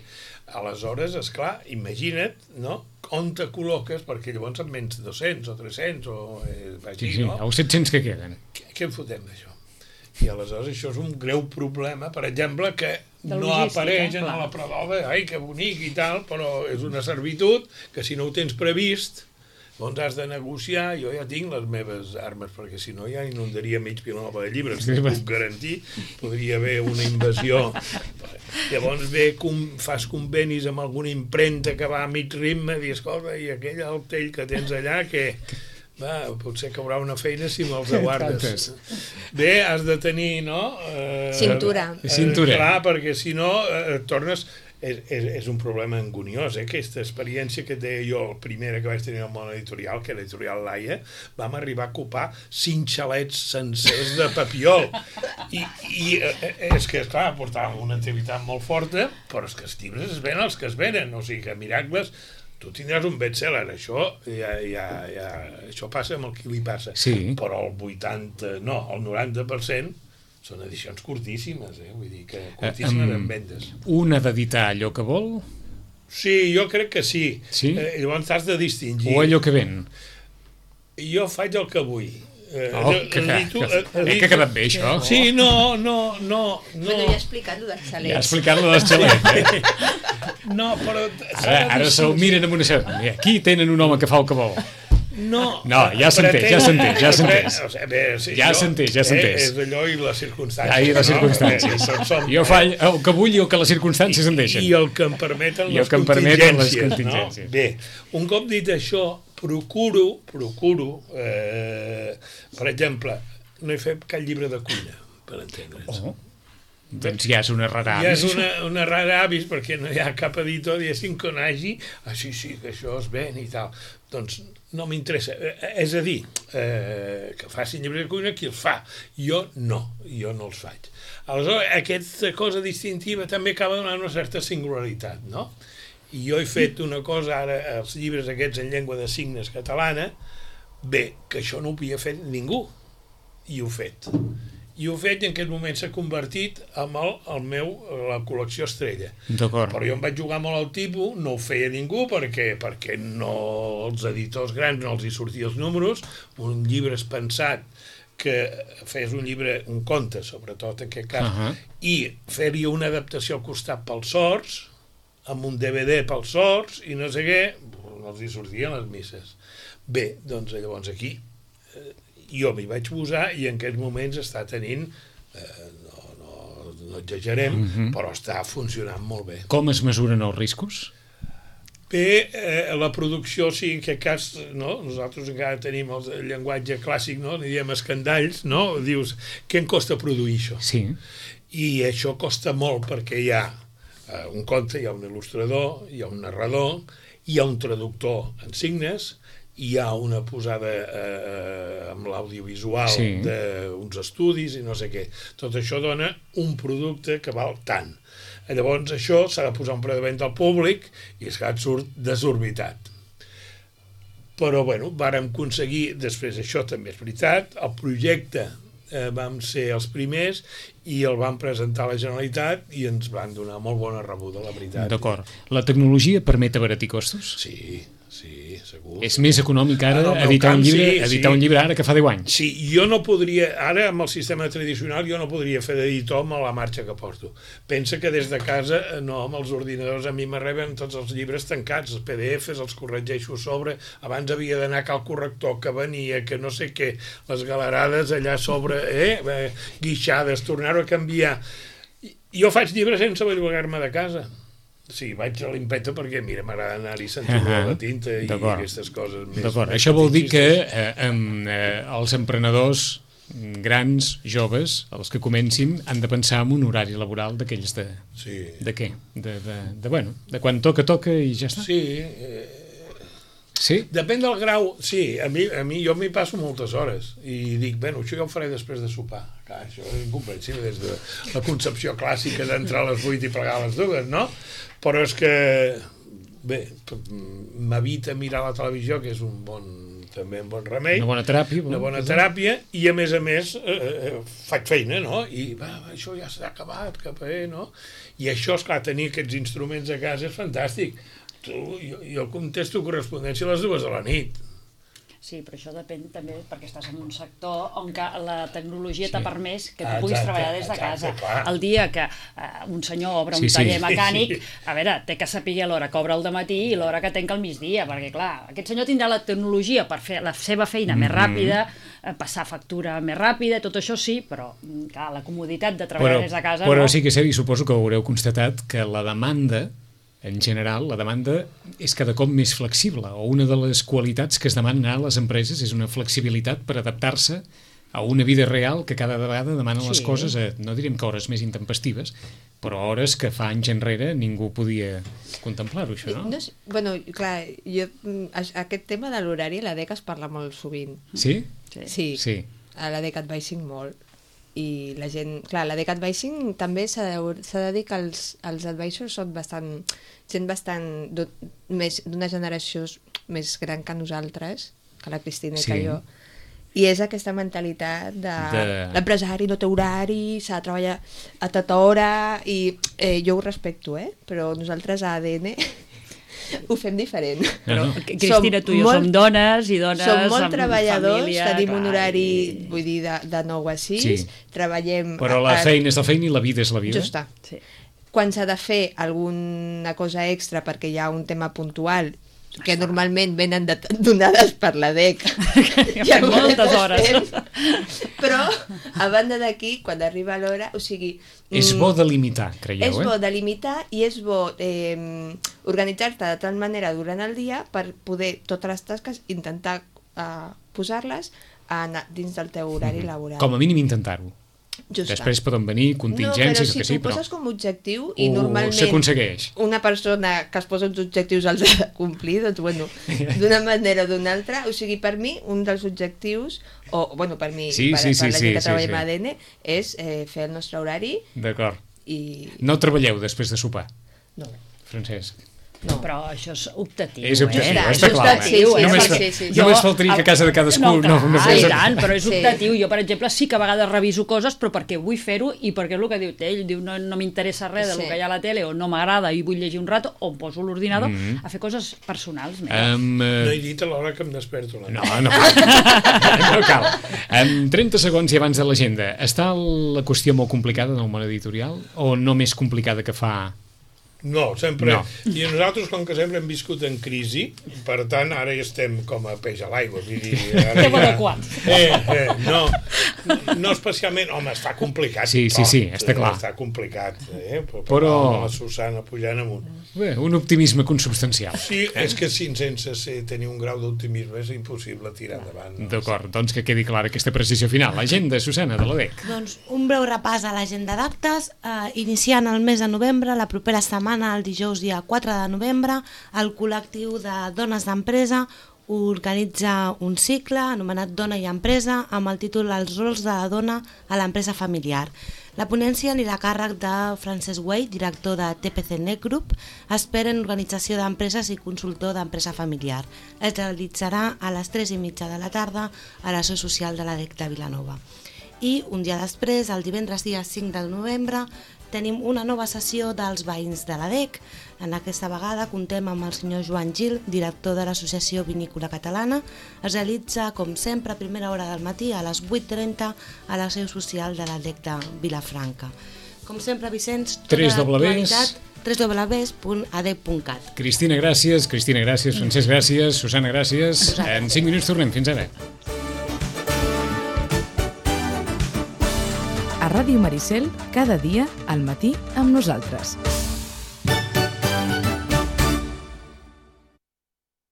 S6: aleshores, esclar, imagina't, no?, on te col·loques, perquè llavors en menys 200 o 300 o...
S2: Els 700 que queden.
S6: Què en fotem d'això? I aleshores això és un greu problema, per exemple, que no apareix en la prova, ai, que bonic i tal, però és una servitud que si no ho tens previst, doncs has de negociar. Jo ja tinc les meves armes, perquè si no ja inundaria mig Vilanova de llibres, t'ho puc garantir, podria haver una invasió. Llavors fas convenis amb alguna impremta que va a mig ritme, i escolta, i aquell altell que tens allà, que... potser caurà una feina si me'ls aguardes. Bé, has de tenir, no?
S4: Cintura.
S6: Clar, perquè si no et tornes... És un problema anguniós, aquesta experiència que deia jo, la primera que vaig tenir al món editorial, que era l'editorial Laia, vam arribar a ocupar 5 xalets sencers de papiol. I és que, esclar, portàvem una activitat molt forta, però és que els llibres es venen els que es venen, o sigui que Miracles... Tu tindràs un best-seller, això passa amb el que li passa, però el 90% són edicions curtíssimes, vull dir que curtíssimes en vendes.
S2: Un ha d'editar allò que vol?
S6: Sí, jo crec que sí. Llavors t'has de distingir.
S2: O allò que ven?
S6: Jo faig el que vull.
S2: Que ha quedat bé, això.
S6: Sí, no.
S4: Però ja he explicat lo dels xalets.
S2: Ja ha explicat lo dels xalets,
S6: No, però...
S2: Ara se'l miren amb una certa... Aquí tenen un home que fa el que vol.
S6: No,
S2: ja s'entén. Ja s'entén.
S6: És allò i les circumstàncies.
S2: I les circumstàncies. Jo faig el que vull i el que les circumstàncies em deixen.
S6: I el que em permeten les contingències. Bé, un cop dit això, procuro, per exemple, no he fet cap llibre de cuina, per entendre'ns.
S2: Doncs ja és una rara avis.
S6: Ja és una rara avis, perquè no hi ha cap editor, diguéssim, que n'hagi, sí, que això es ven i tal. Doncs no m'interessa. És a dir, que facin llibres de cuina qui els fa. Jo no els faig. Aleshores, aquesta cosa distintiva també acaba donant una certa singularitat, no? I jo he fet una cosa ara, els llibres aquests en llengua de signes catalana, bé, que això no ho havia fet ningú, i ho he fet. I ho he fet i en aquest moment s'ha convertit en la col·lecció estrella. Però jo em vaig jugar molt al tipus, no ho feia ningú perquè no, els editors grans no els hi sortia els números, un llibre és pensat que fes un llibre, un conte, sobretot en aquest cas, i fer-hi una adaptació al costat pels sords, amb un DVD pels sords i no sé què, no els hi sortien les misses. Bé, doncs llavors aquí jo m'hi vaig posar i en aquests moments està tenint, no exagerem, però està funcionant molt bé.
S2: Com es mesuren els riscos?
S6: Bé, la producció, sí, en aquest cas, no? Nosaltres encara tenim el llenguatge clàssic, no? Li diem escandalls, no? Dius, què em costa produir això?
S2: Sí.
S6: I això costa molt perquè hi ha un conte, hi ha un il·lustrador, hi ha un narrador, hi ha un traductor en signes, hi ha una posada amb l'audiovisual d'uns estudis i no sé què. Tot això dona un producte que val tant. Llavors això s'ha de posar un preu de venda al públic i és que et surt desorbitat. Però, bueno, vàrem aconseguir, després això també és veritat, el projecte vam ser els primers i el vam presentar a la Generalitat i ens van donar molt bona rebuda, la veritat.
S2: D'acord. La tecnologia permet abaratir costos?
S6: Sí, segur.
S2: És més econòmic ara editar un llibre ara que fa 10 anys.
S6: Sí, jo no podria, ara amb el sistema tradicional jo no podria fer d'editor amb la marxa que porto. Pensa que des de casa, no, amb els ordinadors a mi m'arriben tots els llibres tancats, els PDFs, els corregeixo sobre, abans havia d'anar a cal corrector que venia, que no sé què, les galerades allà sobre, guixades, tornar-ho a canviar. Jo faig llibres sense bellugar-me de casa. Sí, vaig a l'impeta perquè, mira, m'agrada anar-hi sentint la tinta i aquestes coses més.
S2: D'acord, això vol dir que els emprenedors grans, joves, els que comencin, han de pensar en un horari laboral d'aquells de...
S6: Sí.
S2: De què? De quan toca i ja està?
S6: Sí.
S2: Sí?
S6: Depèn del grau. Sí, a mi jo m'hi passo moltes hores i dic, bueno, això ja ho faré després de sopar. Clar, això és incomprensible des de la concepció clàssica d'entrar a les 8 i plegar a les 2, no? Però és que, bé, m'evita mirar la televisió, que és també un bon remei.
S2: Una bona teràpia.
S6: Una bona teràpia, i a més faig feina, no? I això ja s'ha acabat, no? I això, esclar, tenir aquests instruments a casa és fantàstic. Jo contesto correspondència a les 2 de la nit.
S5: Sí, però això depèn també perquè estàs en un sector on la tecnologia t'ha permès que tu puguis treballar des de casa. El dia que un senyor obre un taller mecànic, a veure, té que saber l'hora que obre al dematí i l'hora que tanca al migdia, perquè clar, aquest senyor tindrà la tecnologia per fer la seva feina més ràpida, passar factura més ràpida, tot això sí, però clar, la comoditat de treballar des de casa...
S2: Però sí que és cert, i suposo que haureu constatat que la demanda en general, la demanda és cada cop més flexible, o una de les qualitats que es demanen a les empreses és una flexibilitat per adaptar-se a una vida real que cada vegada demana les coses a, no direm que hores més intempestives, però hores que fa anys enrere ningú podia contemplar-ho, això, no?
S4: Bueno, clar, aquest tema de l'horari a l'ADEC es parla molt sovint.
S2: Sí?
S4: Sí. A l'ADEC Advising molt. I la gent, clar, l'ADEC Advising també s'ha de dir que els advisors són gent bastant d'una generació més gran que nosaltres, que la Cristina i que jo, i és aquesta mentalitat de l'empresari no té horari, s'ha de treballar a tota hora, i jo ho respecto, però nosaltres a ADN ho fem diferent.
S5: Però, Cristina, tu i jo som dones i dones
S4: som molt treballadors,
S5: família,
S4: tenim un horari, vull dir, de 9 a 6, treballem...
S2: Però la feina és la feina i la vida és la vida.
S4: Justa. Quan s'ha de fer alguna cosa extra perquè hi ha un tema puntual, que normalment venen donades per l'ADEC.
S5: Ja moltes hores.
S4: Però, a banda d'aquí, quan arriba l'hora, o sigui...
S2: És bo delimitar, creieu,
S4: És bo delimitar i és bo organitzar-te de tal manera durant el dia per poder totes les tasques intentar posar-les dins del teu horari laboral.
S2: Com a mínim intentar-ho.
S4: Justa.
S2: Després poden venir contingències,
S4: però si tu poses com a objectiu i normalment
S2: s'aconsegueix.
S4: Una persona que es posa uns objectius els ha de complir, doncs bueno, d'una manera o d'una altra, o sigui, per mi un dels objectius, o bueno, per mi, per la gent que treballem a ADN, és fer el nostre horari.
S2: D'acord.
S4: I...
S2: No treballeu després de sopar?
S4: No.
S2: Francesc?
S5: No. Però això és optatiu,
S2: és optatiu,
S5: està clar.
S2: Només faltaria que a casa de cadascú no
S5: fes... I tant, però és optatiu. Jo, per exemple, sí que a vegades reviso coses, però perquè vull fer-ho i perquè és el que diu ell, diu no m'interessa res del que hi ha a la tele o no m'agrada i vull llegir un rato, o em poso l'ordinador a fer coses personals.
S6: No he dit a l'hora que em desperto.
S2: No cal. 30 segons i abans de l'agenda. Està la qüestió molt complicada en el món editorial o no més complicada que fa
S6: No, sempre.
S2: No.
S6: I nosaltres, com que sempre hem viscut en crisi, per tant, ara ja estem com a peix a l'aigua.
S5: Estem adequats.
S6: No especialment... Home, està complicat.
S2: Sí, està clar.
S6: Està complicat,
S2: Però...
S6: la Susana pujant amunt.
S2: Bé, un optimisme consubstancial.
S6: Sí, és que sense tenir un grau d'optimisme és impossible tirar endavant.
S2: D'acord, doncs que quedi clara aquesta precisió final. L'agenda, Susana, de l'ADEC.
S3: Doncs un breu repàs a l'agenda d'actes. Iniciant el mes de novembre, la propera setmana, el dijous dia 4 de novembre, el col·lectiu de dones d'empresa organitza un cicle anomenat Dona i Empresa amb el títol Els rols de la dona a l'empresa familiar. La ponència anirà a càrrec de Francesc Güell, director de TPC Net Group, expert en organització d'empreses i consultor d'empresa familiar. Es realitzarà a les 3:30 de la tarda a la seu social de l'ADEC de Vilanova. I un dia després, el divendres dia 5 de novembre, tenim una nova sessió dels veïns de l'ADEC. En aquesta vegada contem amb el senyor Joan Gil, director de l'Associació Vinícola Catalana. Es realitza, com sempre, a primera hora del matí, a les 8:30, a la seu social de l'ADEC de Vilafranca. Com sempre, Vicenç, tota l'actualitat www.adec.cat.
S2: Cristina, gràcies. Francesc, gràcies. Susana, gràcies. En 5 minuts tornem. Fins ara.
S1: A Ràdio Maricel, cada dia al matí amb nosaltres.